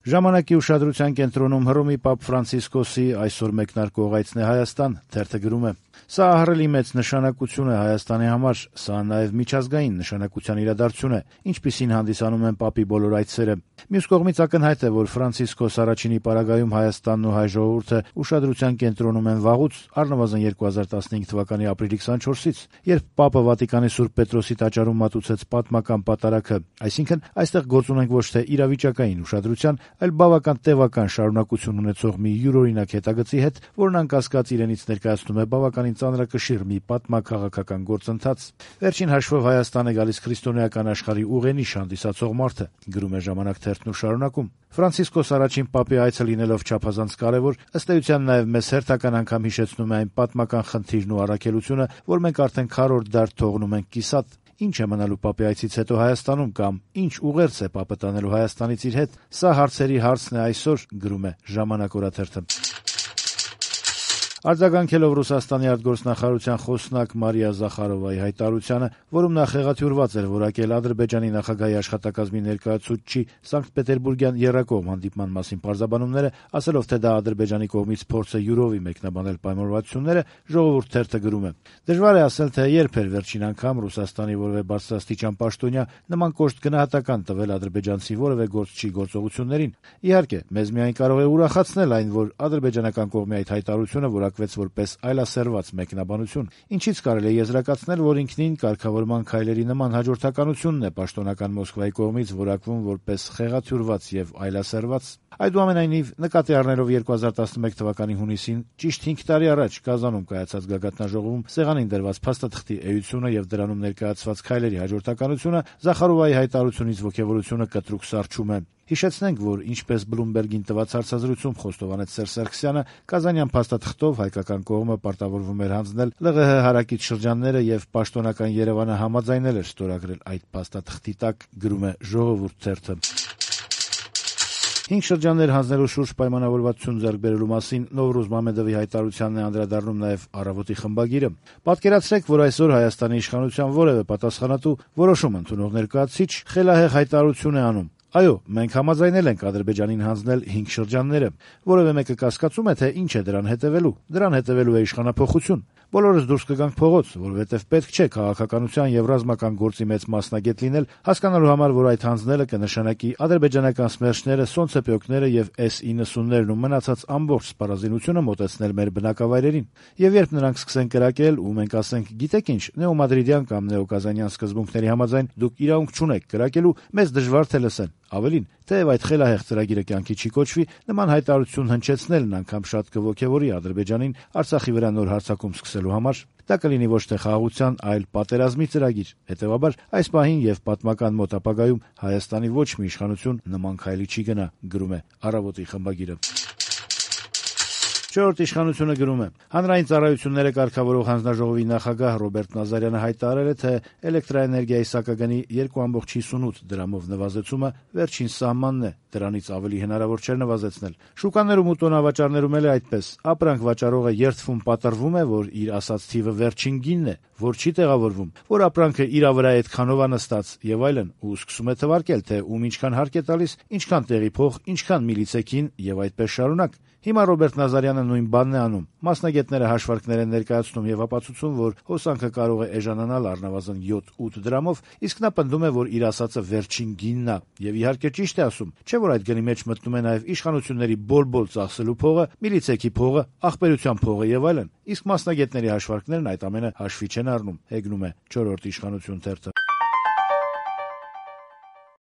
Ժամանակի ուշադրության կենտրոնում Հռոմի Պապ Ֆրանցիսկոսի այսօր մեկնարկող այցն է Հայաստան, թերթը գրում է. «Սա ահռելի մեծ նշանակություն է Հայաստանի համար, սա նաև միջազգային նշանակության իրադարձություն է, ինչպիսին հանդիսանում են Պապի բոլոր այցերը։ Մյուս կողմից ակնհայտ է, որ Ֆրանցիսկոս առաջինի պարագայում Հայաստանն ու հայ ժողովուրդը ուշադրության կենտրոնում են վաղուց, առնվազն 2015 թվականի ապրիլի 24-ից, երբ Պապը Վատիկանի Սուրբ Պետրոսի տաճարում մատուցեց պատմական պատարագը, այսինքն այստեղ գործ ունենք ոչ թե իրավիճակային ուշադրության, այլ բավական տևական շարունակություն ունեցող մի յուրօրինակ հետագծի հետ, որն անկասկած իրենից ներկայացնում է բավականին ծանրակշիռ մի պատմաքաղաքական գործընթաց։ Վերջին հաշվով Հայաստան է գալիս քրիստոնեական աշխարհի ուղենիշ հանդիսացող մարդը», գրում է «Ժամանակ» թերթն ու շարունակում. «Ֆրանցիսկոս առաջին Պապի այցը լինելով չափազանց կարևոր, ըստ էության նաև մեզ հերթական անգամ հիշեցնում է այն պատմական խնդիրն ու առաքելությունը, որ մենք արդեն քառորդ դար թողնում ենք կիսատ։ Ինչ է մնալու Պապի այցից հետո Հայաստանում կամ ինչ ուղերձ է Պապը տանելու Հայաստանից իր հետ, սա հարցերի հարցն է այսօր», գրում է «Ժամանակ» օրաթերթը։ Արձագանքելով Ռուսաստանի արտգործնախարարության խոսնակ Մարիա Զախարովայի հայտարարությանը, որում նա խեղաթյուրված էր որակել Ադրբեջանի նախագահի աշխատակազմի ներկայացուցչի Սանկտ Պետերբուրգյան եռակողմ հանդիպման մասին պարզաբանումները, ասելով, թե դա Ադրբեջանի կողմից փորձ է յուրովի մեկնաբանել պայմանավորվածությունները, Ժողովուրդ թերթը գրում է. «Դժվար է ասել, թե երբ էր վերջին անգամ Ռուսաստանի որևէ բարձրաստիճան պաշտոնյա նման կոշտ գնահատական տվել ադրբեջանցի որևէ գործչի գործողություններին։ Իհարկե, մեզ միայն կարող է ուրախացնել այն, որ ադրբեջանական կողմի այդ հայտարարությունը որակվեց որպես այլասերված մեկնաբանություն, ինչից կարելի է եզրակացնել, որ ինքնին կարգավորման քայլերի նման հաջորդականությունն է պաշտոնական Մոսկվայի կողմից որակվում որպես խեղաթյուրված եւ այլասերված։ Այդուամենայնիվ, նկատի առնելով 2011 թվականի հունիսին, ճիշտ 5 տարի առաջ Կազանում կայացած գագաթնաժողովում սեղանին դրված փաստաթղթի էությունը եւ դրանում ներկայացված քայլերի հաջորդականությունը, Զախարովայի հայտարարությունից ոգևորությունը կտրուկ սառչում է։ Հիշեցնենք, որ ինչպես Բլումբերգին տված հարցազրույցում խոստովանեց Սերժ Սարգսյանը, Կազանյան փաստաթղթով հայկական կողմը պարտավորվում էր հանձնել ԼՂՀ հարակից շրջանները եւ պաշտոնական Երևանը համաձայնել էր ստորագրել այդ փաստաթղթի տակ, գրում է Ժողովուրդ թերթը։ 5 շրջաններ հանձնելու շուրջ պայմանավորվածություն ձեռք բերելու մասին Նովրուզ Մամեդովի հայտարարությանն է անդրադառնում նաև Առավոտի խմբագիրը։ Պատկերացրեք, որ այսօր Հայաստանի իշխանության որևէ պատասխանատու որոշում ընդունող ներկայացուցիչ խելահեղ հայտարարություն է անում. «Այո, մենք համաձայնել ենք Ադրբեջանին հանձնել 5 շրջանները»։ Որևէ մեկը կասկածում է, թե ինչ է դրան հետևելու։ Դրան հետևելու է իշխանափոխություն։ Բոլորս դուրս կգանք փողոց, որովհետև պետք չէ քաղաքականության եւ ռազմական գործի մեծ մասնագետ լինել, հասկանալու համար, որ այդ հանձնելը կնշանակի ադրբեջանական սմերչները, սոնցեպյոկները եւ S-90-ներն ու մնացած ամբողջ սպառազինությունը մոտեցնել մեր բնակավայրերին։ Եվ երբ նրանք սկսեն կրակել ու մենք ասենք, գիտեք ինչ, նեոմադրիդյան կամ նեոկազանյան սկզբունքների համաձայն դուք իրավունք չունեք կրակելու, մեզ դժվար թե լսեն։ Ավելին, թեև այդ խելահեղ ծրագիրը կյանքի չի կոչվի, նման հայտարարություն հնչեցնելն անգամ շատ կոգևորի Ադրբեջանին Արցախի վրա նոր հարձակում սկսելու համար։ Դա կլինի ոչ թե խաղաղության, այլ պատերազմի ծրագիր։ Հետևաբար, այս պահին եւ պատմական մոտ ապագայում Հայաստանի ոչ մի իշխանություն նման քայլի չի գնա, գրում է Առավոտի խմբագիրը։ Չորրորդ իշխանությունը գրում է. հանրային ծառայությունները կարգավորող հանձնաժողովի նախագահ Ռոբերտ Նազարյանը հայտարարել է, թե էլեկտրաէներգիայի սակագնի 2.58 դրամով նվազեցումը վերջին սահմանն է, դրանից ավելի հնարավոր չէր նվազեցնել։ Շուկաներում ու տոնավաճառներում էլ է այդպես։ Ապրանք վաճառողը երդվում պատռվում է, որ իր ասած թիվը վերջին գինն է, որ չի տեղավորվում, որ ապրանքը իրա վրա այդքանով է նստած եւ այլն, ու սկսում է թվարկել, թե ում ինչքան հարկ է տալիս, ինչքան տեղի փող, ինչքան միլիցեքին եւ այդպես շարունակ։ Հիմա Ռոբերտ Նազարյանը նույն բանն է անում։ Մասնագետները հաշվարկներ են ներկայացնում եւ ապացուցում, որ հոսանքը կարող է էժանանալ առնվազն 7-8 դրամով, իսկ նա պնդում է, որ իր ասածը վերջին գինն է։ Եվ իհարկե ճիշտ է ասում, չէ՞ որ այդ գնի մեջ մտնում է նաեւ իշխանությունների բոլ-բոլ ծախսելու փողը, միլիցեքի փողը, ախպերության փողը եւ այլն։ Իսկ մասնագետների հաշվարկներն այդ ամենը հաշվի չեն առնում, հեգնում է 4-րդ իշխանություն թերթը։